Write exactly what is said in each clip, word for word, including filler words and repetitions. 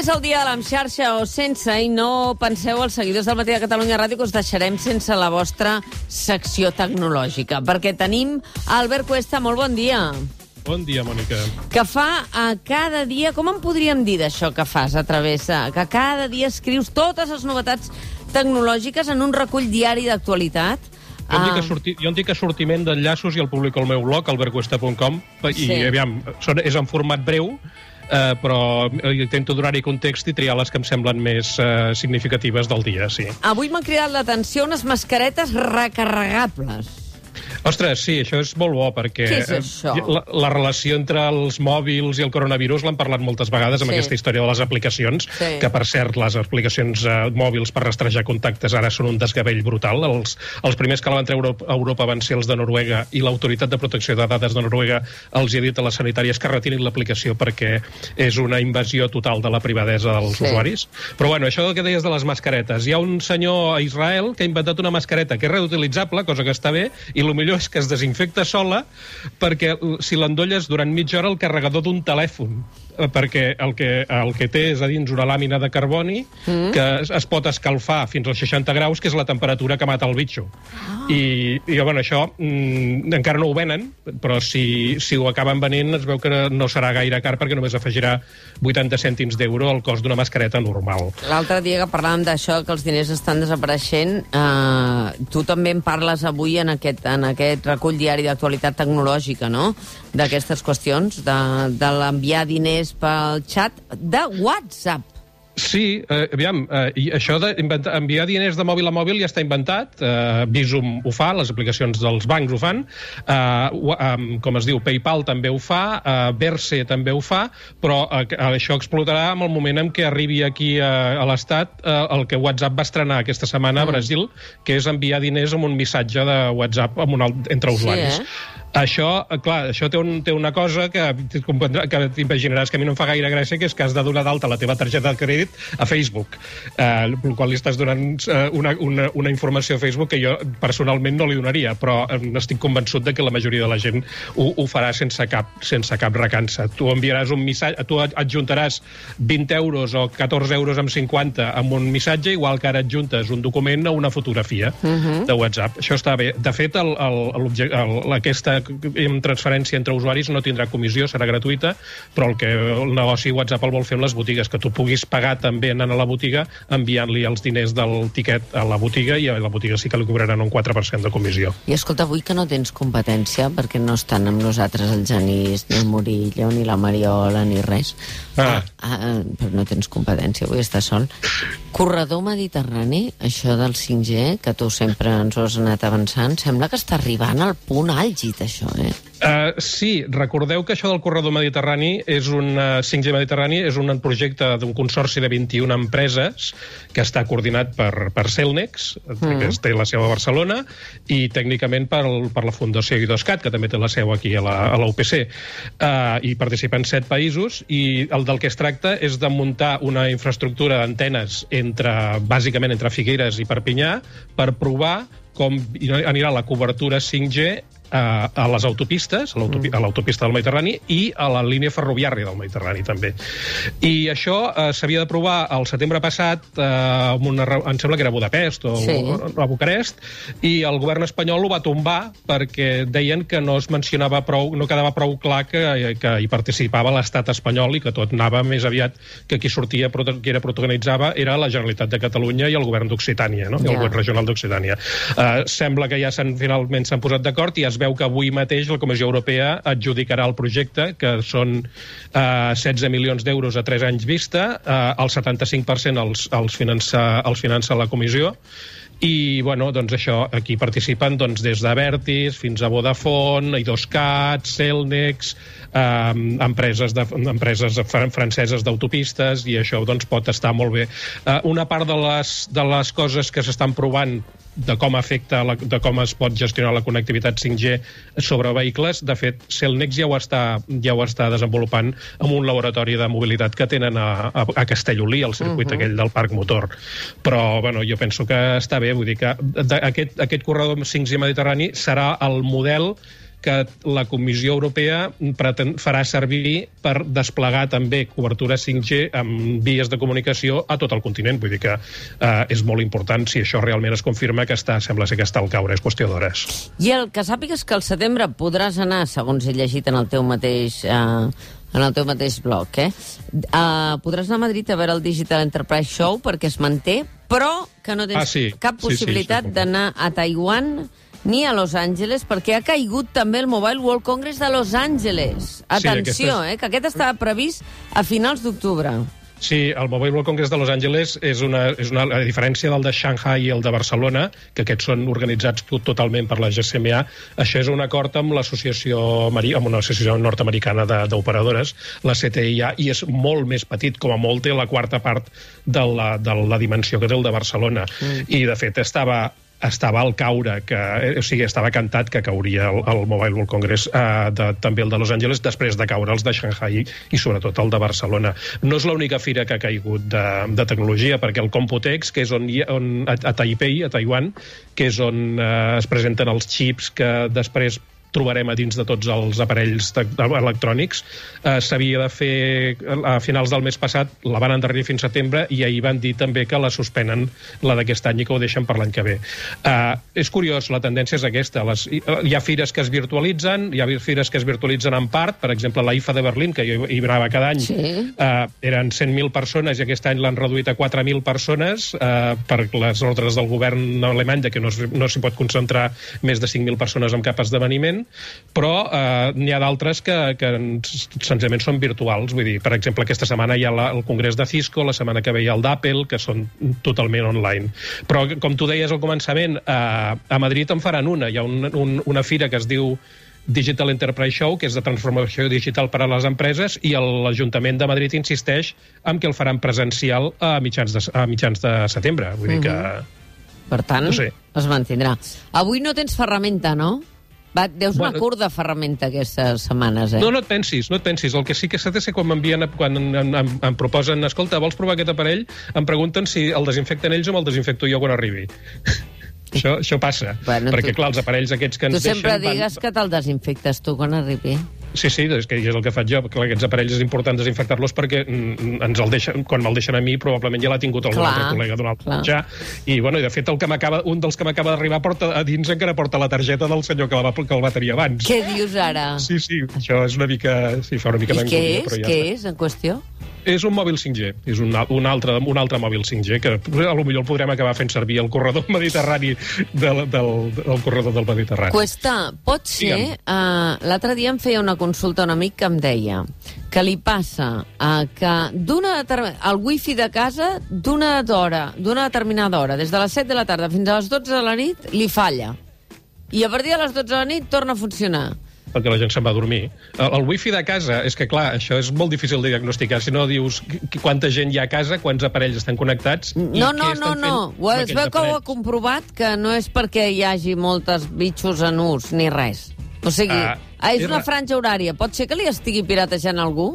és el dia de l'Amxarxa o sense, i no penseu, els seguidors del Matí de Catalunya Ràdio, que us deixarem sense la vostra secció tecnològica, perquè tenim Albert Cuesta. Molt bon dia. Bon dia, Mònica. Que fa a cada dia... Com en podríem dir d'això que fas a través de... Que cada dia escrius totes les novetats tecnològiques en un recull diari d'actualitat? Jo em dic, que sorti, jo em dic assortiment d'enllaços i el publico al meu blog, albert cuesta punt com, i Sí. aviam, són, és en format breu, eh, però intento donar-hi context i triar les que em semblen més eh, significatives del dia, sí. Avui m'han cridat l'atenció unes mascaretes recarregables. Ostres, sí, això és molt bo, perquè Què és això? la, la relació entre els mòbils i el coronavirus l'han parlat moltes vegades amb Sí. aquesta història de les aplicacions, Sí. que per cert, les aplicacions eh, mòbils per rastrejar contactes ara són un desgavell brutal. Els, els primers que la van treure a Europa van ser els de Noruega, i l'Autoritat de Protecció de Dades de Noruega els ha dit a les sanitàries que retirin l'aplicació perquè és una invasió total de la privadesa dels Sí. usuaris. Però bueno, això que deies de les mascaretes, hi ha un senyor a Israel que ha inventat una mascareta que és reutilitzable, cosa que està bé, i el millor és que es desinfecta sola, perquè si l'endolles durant mitja hora el carregador d'un telèfon, perquè el que, el que té és a dins una làmina de carboni mm. que es, es pot escalfar fins als seixanta graus, que és la temperatura que mata el bitxo. Ah. I, i bueno, això mm, encara no ho venen, però si, si ho acaben venent es veu que no serà gaire car, perquè només afegirà vuitanta cèntims d'euro al cost d'una mascareta normal. L'altre dia que parlàvem d'això, que els diners estan desapareixent, eh, tu també en parles avui en aquest, en aquest recull diari d'actualitat tecnològica, no?, d'aquestes qüestions, de, de l'enviar diners pel xat de WhatsApp. Sí, eh, aviam, eh, i això d'enviar diners de mòbil a mòbil ja està inventat. Eh, Bizum ho fa, les aplicacions dels bancs ho fan, eh, eh, com es diu, PayPal també ho fa, eh, Verse també ho fa, però eh, això explotarà en el moment en què arribi aquí eh, a l'Estat eh, el que WhatsApp va estrenar aquesta setmana a Brasil, que és enviar diners amb un missatge de WhatsApp amb un, entre usuaris. Sí, eh? Això, clar, això té, un, té una cosa que, que t'imaginaràs que a mi no em fa gaire gràcia, que és que has de donar d'alta la teva targeta de crèdit a Facebook, eh, el qual li estàs donant eh, una, una, una informació a Facebook que jo personalment no li donaria, però eh, estic convençut de que la majoria de la gent ho, ho farà sense cap, sense cap recança. Tu enviaràs un missatge, tu adjuntaràs vint euros o catorze euros amb cinquanta amb un missatge, igual que ara adjuntes un document a una fotografia uh-huh. de WhatsApp. Això està bé. De fet, el, el, el, aquesta en transferència entre usuaris no tindrà comissió, serà gratuïta, però el que el negoci WhatsApp el vol fer amb les botigues, que tu puguis pagar també anant a la botiga, enviant-li els diners del tiquet a la botiga, i a la botiga sí que li cobraran un quatre per cent de comissió. I escolta, avui que no tens competència, perquè no estan amb nosaltres el Genís, ni el Murillo, ni la Mariola, ni res. Ah. Ah, ah, però no tens competència, avui estàs sol. Corredor mediterrani, això del cinc G, que tu sempre ens ho has anat avançant, sembla que està arribant al punt àlgid, això, eh? Uh, sí, recordeu que això del corredor mediterrani és un uh, cinc G mediterrani és un projecte d'un consorci de vint-i-una empreses que està coordinat per, per Cellnex, mm. que té la seu a Barcelona, i tècnicament per, per la Fundació Idoscat, que també té la seu aquí a la, a la U P C. Uh, i participen set països, i el del que es tracta és de muntar una infraestructura d'antenes entre, bàsicament entre Figueres i Perpinyà, per provar com anirà la cobertura cinc G a les autopistes, a l'autopista del Mediterrani, i a la línia ferroviària del Mediterrani, també. I això eh, s'havia d'aprovar el setembre passat, eh, amb una, em sembla que era a Budapest o sí. a Bucarest, i el govern espanyol ho va tombar perquè deien que no es mencionava prou, no quedava prou clar que, que hi participava l'estat espanyol, i que tot anava més aviat que qui sortia, qui era protagonitzava, era la Generalitat de Catalunya i el govern d'Occitània, no? Yeah. El govern regional d'Occitània. Eh, sembla que ja s'han, finalment s'han posat d'acord, i es veu que avui mateix la Comissió Europea adjudicarà el projecte, que són eh, setze milions d'euros a tres anys vista, eh, el setanta-cinc per cent els, els, finança, els finança la Comissió, i, bueno, doncs això, aquí participen doncs, des d'Abertis fins a Vodafone, Idoscat, Cellnex, eh, empreses, de, empreses franceses d'autopistes, i això doncs, pot estar molt bé. Eh, una part de les, de les coses que s'estan provant de com afecta, la, de com es pot gestionar la connectivitat cinc G sobre vehicles, de fet, Cellnex ja ho està, ja ho està desenvolupant en un laboratori de mobilitat que tenen a, a, a Castellolí, al circuit uh-huh. aquell del Parc Motor. Però, bueno, jo penso que està bé, vull dir que aquest, aquest corredor cinc G mediterrani serà el model que la Comissió Europea pretén, farà servir per desplegar també cobertura cinc G amb vies de comunicació a tot el continent. Vull dir que eh, és molt important si això realment es confirma que està, sembla ser que està al caure, és qüestió d'hores. I el que sàpigues que al setembre podràs anar, segons he llegit en el teu mateix... Eh, en el teu mateix blog, eh? Uh, podràs anar a Madrid a veure el Digital Enterprise Show perquè es manté, però que no tens ah, sí. cap possibilitat sí, sí, d'anar a Taiwan ni a Los Angeles, perquè ha caigut també el Mobile World Congress de Los Angeles. Atenció, sí, eh, que aquest estava previst a finals d'octubre. Sí, el Mobile World Congress de Los Angeles és una, és una a diferència del de Shanghai i el de Barcelona, que aquests són organitzats totalment per la G S M A, això és un acord amb l'associació amb una associació nord-americana d'operadores, la C T I A, i és molt més petit, com a molt té la quarta part de la, de la dimensió que té el de Barcelona. Mm. I, de fet, estava... estava al caure, que, o sigui, estava cantat que cauria el, el Mobile World Congress, eh, de, també el de Los Angeles, després de caure els de Shanghai i sobretot el de Barcelona. No és l'única fira que ha caigut de, de tecnologia, perquè el Computex, que és on, on a, a Taipei, a Taiwan, que és on eh, es presenten els xips que després trobarem a dins de tots els aparells electrònics. Eh, s'havia de fer a finals del mes passat, la van endarrerir fins a setembre i ahir van dir també que la suspenen, la d'aquest any, i que ho deixen per l'any que ve. Eh, és curiós, la tendència és aquesta. Les, hi ha fires que es virtualitzen, hi ha fires que es virtualitzen en part, per exemple, la I F A de Berlín, que jo hi anava cada any, sí. eh, eren cent mil persones i aquest any l'han reduït a quatre mil persones eh, per les ordres del govern alemany de que no, no s'hi pot concentrar més de cinc mil persones en cap esdeveniment, però eh, n'hi ha d'altres que, que senzillament són virtuals. Vull dir, per exemple, aquesta setmana hi ha la, el congrés de Cisco, la setmana que ve hi ha el d'Apple, que són totalment online. Però, com tu deies al començament, eh, a Madrid en faran una. Hi ha un, un, una fira que es diu Digital Enterprise Show, que és de transformació digital per a les empreses, i l'Ajuntament de Madrid insisteix en que el faran presencial a mitjans de, a mitjans de setembre. Vull dir que... Per tant, no sé. Es mantindrà. Avui no tens ferramenta, no? Va, deus bueno, una curta ferramenta aquestes setmanes, eh? No, no et pensis, no et pensis. El que sí que s'ha de ser quan m'envien, quan em, em, em proposen, escolta, vols provar aquest aparell? Em pregunten si el desinfecten ells o me'l desinfecto jo quan arribi. això, això passa. Bueno, perquè, tu, clar, els aparells aquests que ens deixen... Tu sempre digues van... que te'l desinfectes tu quan arribi. Sí, sí, és que és el que faig jo. Clar, aquests aparells és important desinfectar-los perquè ens el deixen, quan me'l deixen a mi probablement ja l'ha tingut algun altre col·lega d'un altre mitjà. I, bueno, i de fet el que m'acaba, un dels que m'acaba d'arribar porta a dins encara porta la targeta del senyor que, la va, que el va tenir abans. Què dius ara? Sí, sí, això és una mica... Sí, fa una mica I què és? Ja què està. És, en qüestió? És un mòbil cinc G, és un, un, altre, un altre mòbil cinc G, que potser el podrem acabar fent servir el corredor mediterrani del, del, del corredor del Mediterrani. Cuesta, pot ser... Uh, l'altre dia em feia una consulta un amic que em deia que li passa uh, que d'una el wifi de casa d'una hora, d'una determinada hora, des de les set de la tarda fins a les dotze de la nit, li falla. I a partir de les dotze de la nit torna a funcionar. Perquè la gent se'n va a dormir. El, el wifi de casa, és que clar, això és molt difícil de diagnosticar. Si no dius quanta gent hi ha a casa, quants aparells estan connectats... No, no, no, no. Es veu que ho ha comprovat que no és perquè hi hagi moltes bitxos en ús, ni res. O sigui, ah, és una franja horària. Pot ser que li estigui piratejant algú?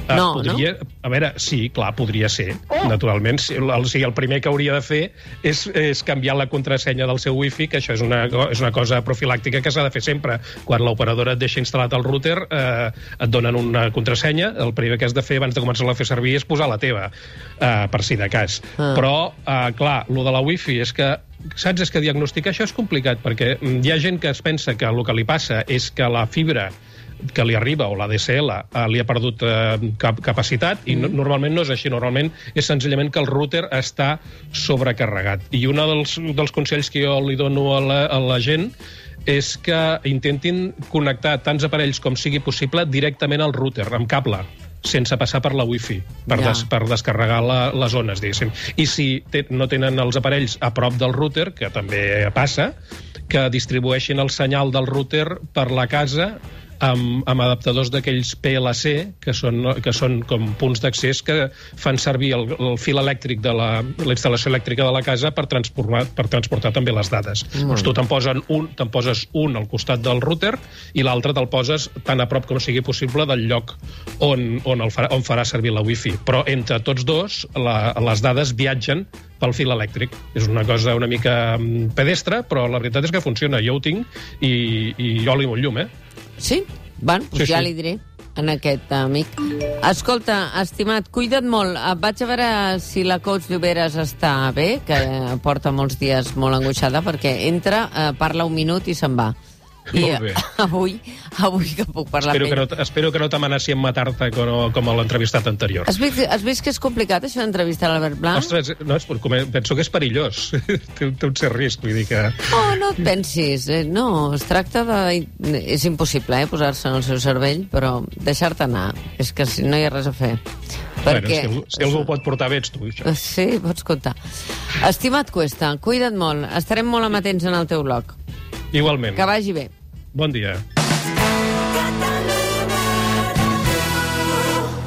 Uh, no, podria, no? A veure, sí, clar, podria ser, oh. naturalment. El, o sigui, el primer que hauria de fer és, és canviar la contrasenya del seu wifi, que això és una, és una cosa profilàctica que s'ha de fer sempre. Quan l'operadora et deixa instal·lat el router, eh, et donen una contrasenya, el primer que has de fer abans de començar-la a fer servir és posar la teva, eh, per si de cas. Ah. Però, eh, clar, lo de la wifi és que saps, és que diagnosticar això és complicat, perquè hi ha gent que es pensa que el que li passa és que la fibra que li arriba, o la D S L, eh, li ha perdut eh, cap capacitat, i no, normalment no és així. Normalment és senzillament que el router està sobrecarregat. I un dels, dels consells que jo li dono a la, a la gent és que intentin connectar tants aparells com sigui possible directament al router, amb cable, sense passar per la wifi, per, ja. des, per descarregar la, les zones, diguéssim. I si te, no tenen els aparells a prop del router, que també passa, que distribueixin el senyal del router per la casa amb, amb adaptadors d'aquells P L C, que són, que són com punts d'accés que fan servir el, el fil elèctric de la, la instal·lació elèctrica de la casa per transportar, per transportar també les dades. Mm. Doncs tu te'n posen un, te'n poses un al costat del router i l'altre te'l poses tan a prop com sigui possible del lloc on, on, el farà, on farà servir la wifi. Però entre tots dos, la, les dades viatgen pel fil elèctric. És una cosa una mica pedestre, però la veritat és que funciona. Jo ho tinc i, i oli molt llum, eh? Sí? Bueno, doncs sí, ja sí. li diré en aquest amic. Escolta, estimat, cuida't molt. Vaig a veure si la coach Lloberes està bé, que porta molts dies molt angoixada, perquè entra, parla un minut i se'n va. I avui, avui que puc parlar espero amb que no, espero que no t'amenaci amb matar-te com, com a l'entrevistat anterior. Has vist, has vist que és complicat, això d'entrevistar l'Albert Blanc? Ostres, no, és, penso que és perillós. té, té un cert risc, vull dir que... Oh, no et pensis. No, es tracta de... És impossible, eh, posar-se en el seu cervell, però deixar-te anar. És que si no hi ha res a fer. Perquè... Bueno, si, si algú ho pot portar bé ets tu, això. Sí, pots comptar. Estimat Cuesta, cuida't molt. Estarem molt amatents en el teu blog. Igualment. Que vagi bé. Bon dia.